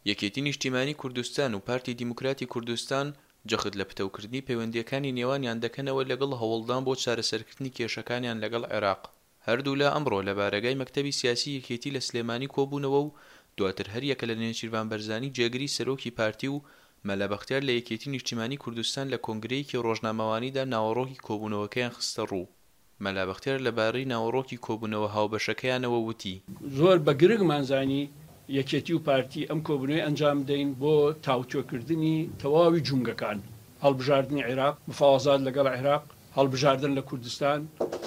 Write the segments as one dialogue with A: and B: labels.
A: یەکێتی نیشتیمانی کوردستان و پارتی دیموکراتی کوردستان جەخت لە پتەوکردنی پەیوەندییەکانی نێوانیان دەکەنەوە لەگەڵ هەوڵدان بۆ چارەسەرکردنی کێشەکانیان لەگەڵ عێراق. هەردوولا ئەمڕۆ لە بارەگای مەکتەبی سیاسی یەکێتی لە سلێمانی کۆبوونەوە و دواتر هەریەکە لە نێچیرڤان بەرزانی جێگری سەرۆکی پارتی و مەلا بەختیار لە یەکێتی نیشتیمانی کوردستان لە کۆنگرەیەکی ڕۆژنامەوانیدا ناوەڕۆکی کۆبوونەوەکەیان خستەڕوو. مەلا بەختیار لەبارەی ناوەڕۆکی کۆبوونەوە هاوبەشەکەیانەوە وتی.
B: زۆر بە گرنگمان زانی یەکێتی و پارتی ئەم کۆبوونەوەی ئەنجام بدەین بۆ تاوتوێکردنی تەواوی جومگەکان، هەڵبژاردنی عێراق، مفاوەزات لەگەڵ عێراق، هەڵبژاردن لە کوردستان،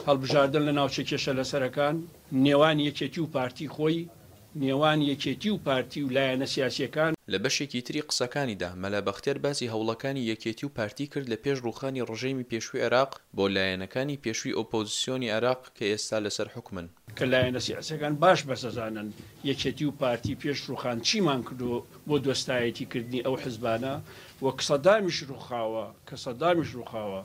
B: هەڵبژاردن لە ناوچە کێشە لەسەرەکان، نێوان یەکێتی و پارتی خۆی، نێوان یەکێتی و پارتی و لایەنە سیاسییەکان.
A: لە بەشێکی تری قسەکانیدا، مەلا بەختیار باسی هەوڵەکانی یەکێتی و پارتی کرد لە پێش ڕووخانی ڕژێمی پێشووی عێراق بۆ لایەنەکانی پێشووی ئۆپۆزسیۆنی عێراق کە ئێستا لەسەر حوکمن.
B: کە لایەنە سیاسییەکان باش بەسەزانن یەکێتی و پارتی پێش ڕووخان چیمان کردووە بۆ دۆستایەتی کردنی ئەو حزبانە و سەدامیش ڕووخاوە کە سەدامیش ڕووخاوە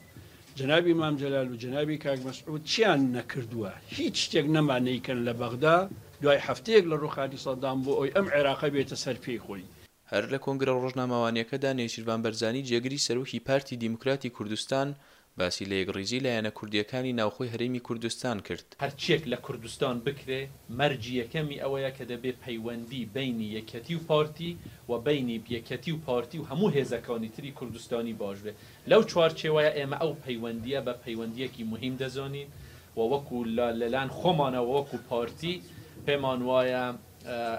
B: جەنابی مام جەلال و جەنابی کاک مەسعود چیان نەکردووە؟ هیچ شتێک نەما نەیکەن لە بەغدا دوای هەفتەیەک لە ڕووخانی سەدام بۆ ئەوەی ئەم عێراقە بێتە سەر پێی خۆی.
A: هەر لە کۆنگرە ڕۆژنامەوانییەکەدا نێچیرڤان بەرزانی جێگری سەرۆکی پارتی دیموکراتی کوردستان باسی لە یەکڕیزی لایەنە کوردییەکانی ناوخۆی هەرێمی کوردستان کرد.
C: هەرچیەک لە کوردستان بکرێ مەرجی یەکەمی ئەوەیە کە دەبێ پەیوەندی بەینی یەکیەتی و پارتی و بەینی یەکیەتی و پارتی و هەموو هێزەکانی تری کوردستانی باش بێ. لەو چوارچێوەیە ئێمە ئەو پەیوەندییە بە پەیوەندییەکی موهیم دەزانین و وەکو لە لەلایەن خۆمانەوە وەکو پارتی پێمان وایە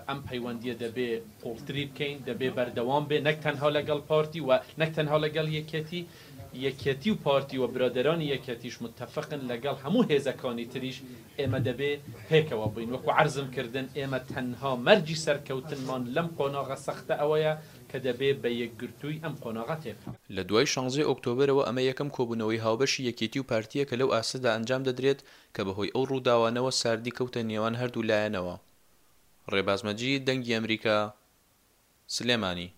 C: ئەم پەیوەندییە دەبێ قوڵتری بکەین، دەبێ بەردەوام بێ نەک تەنها لەگەڵ پارتی و نەک تەنها لەگەڵ یەکێتی، یەکێتی و پارتی و برادەرانی یەکێتیش متەفقن لەگەڵ هەموو هێزەکانی تریش ئێمە دەبێ پێکەوە بین، وەکو عەرزم کردن ئێمە تەنها مەرجی سەرکەوتنمان لەم قۆناغە سەختە ئەوەیە کە دەبێ بە یەکگرتووی ئەم قۆناغە تێپەڕین.
A: لە دوای شانزەی ئۆکتۆبەرەوە ئەمە یەکەم کۆبوونەوەی هاوبەشی یەکێتی و پارتییە کە لەو ئاستەدا ئەنجام دەدرێت کە بەهۆی ئەو ڕووداوانەوە ساردی کەوتە نێوان هەردوو لایەنەوە. ڕێباز مەجید، دەنگی ئەمریکا، سلێمانی.